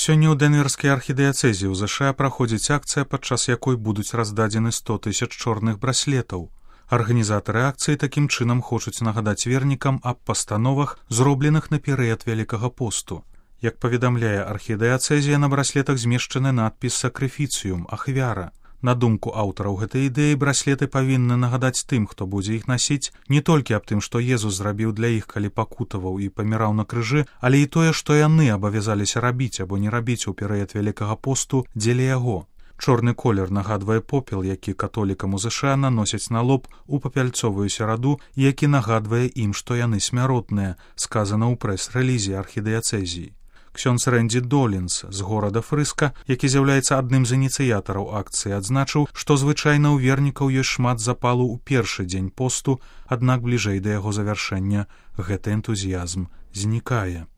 Сёння ў Дэнверскай архідыяцэзе ў ЗША праходзіць акцыя, падчас якой будуць раздадзены 100 000 чорных браслетаў. Арганізатары акцыі такім чынам хочуць нагадаць вернікам аб пастановах, зробленых на перыяд Вялікага посту. Як паведамляе архідыяцэзія, на браслетах змешчаны надпіс «Сакрыфіцыюм» – ахвяра. На думку аўтараў гэтай ідэі, браслеты павінны нагадаць тым, хто будзе іх насіць, не толькі аб тым, што Езус зрабіў для іх, калі пакутаваў і паміраў на крыжы, але і тое, што яны абавязаліся рабіць або не рабіць у перыяд Вялікага посту дзеля яго. Чорны колер нагадвае попел, які католікам у ЗША наносяць на лоб у папяльцовую сераду, які нагадвае ім, што яны смяротныя, сказана ў прэс-рэлізе архідыяцэзіі. Ксёндз Рэнді Долінс з горада Фрыска, які з'яўляецца адным з ініцыятараў акцыі, адзначыў, што звычайна ў вернікаў ёсць шмат запалу ў першы дзень посту, аднак бліжэй да яго завяршэння гэты энтузіязм знікае.